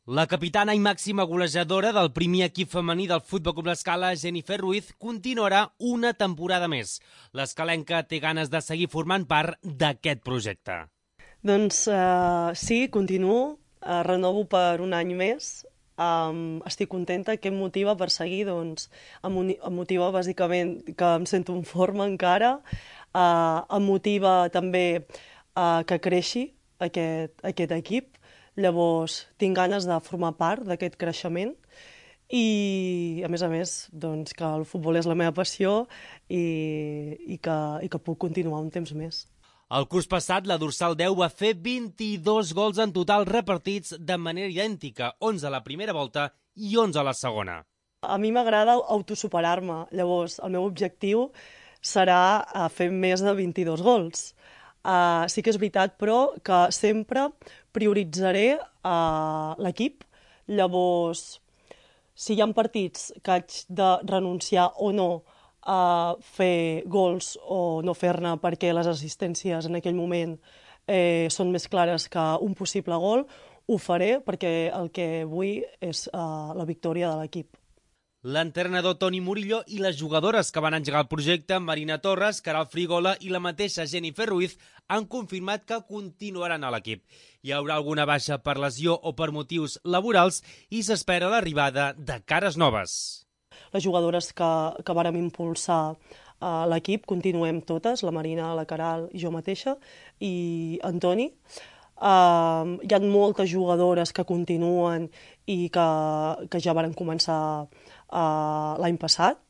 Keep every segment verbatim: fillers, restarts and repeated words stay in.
La capitana i màxima golejadora del primer equip femení del Futbol Club L'Escala, Jennifer Ruiz, continuarà una temporada més. L'escalenca té ganes de seguir formant part d'aquest projecte. Doncs uh, sí, continuo, uh, renovo per un any més. Um, estic contenta. Què em motiva per seguir? Doncs em, em motiva bàsicament que em sento en forma encara, uh, em motiva també uh, que creixi aquest, aquest equip. Llavors tinc ganes de formar part d'aquest creixement i, a més a més, doncs, que el futbol és la meva passió i, i, que, i que puc continuar un temps més. El curs passat, la dorsal deu va fer vint-i-dos gols en total repartits de manera idèntica, onze a la primera volta i onze a la segona. A mi m'agrada autosuperar-me, llavors el meu objectiu serà fer més de vint-i-dos gols. Uh, sí que és veritat, però, que sempre prioritzaré uh, l'equip. Llavors, si hi ha partits que haig de renunciar o no a fer gols o no fer-ne perquè les assistències en aquell moment eh, són més clares que un possible gol, ho faré perquè el que vull és uh, la victòria de l'equip. L'entrenador Toni Murillo i les jugadores que van engegar el projecte, Marina Torres, Caral Frigola i la mateixa Jennifer Ruiz, han confirmat que continuaran a l'equip. Hi haurà alguna baixa per lesió o per motius laborals i s'espera l'arribada de cares noves. Les jugadores que, que vàrem impulsar a l'equip continuem totes, la Marina, la Caral i jo mateixa, i en Toni. Uh, hi ha moltes jugadores que continuen i que, que ja varen començar uh, l'any passat.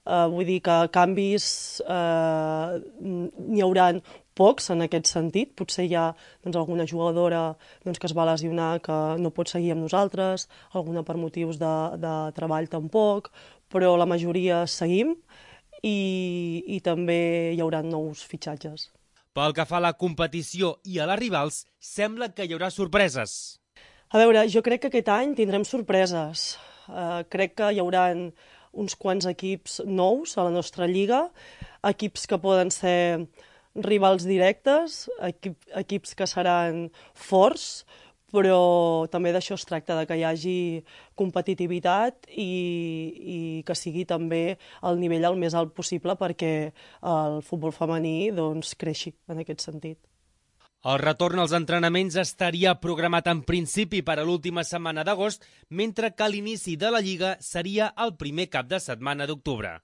Uh, vull dir que canvis uh, n'hi haurà pocs en aquest sentit. Potser hi ha doncs, alguna jugadora doncs, que es va lesionar que no pot seguir amb nosaltres, alguna per motius de, de treball tampoc, però la majoria seguim i, i també hi haurà nous fitxatges. Pel que fa a la competició i a les rivals, sembla que hi haurà sorpreses. A veure, jo crec que aquest any tindrem sorpreses. Uh, crec que hi haurà uns quants equips nous a la nostra lliga, equips que poden ser rivals directes, equip, equips que seran forts, però també d'això es tracta, de que hi hagi competitivitat i, i que sigui també el nivell el més alt possible perquè el futbol femení doncs, creixi en aquest sentit. El retorn als entrenaments estaria programat en principi per a l'última setmana d'agost, mentre que l'inici de la Lliga seria el primer cap de setmana d'octubre.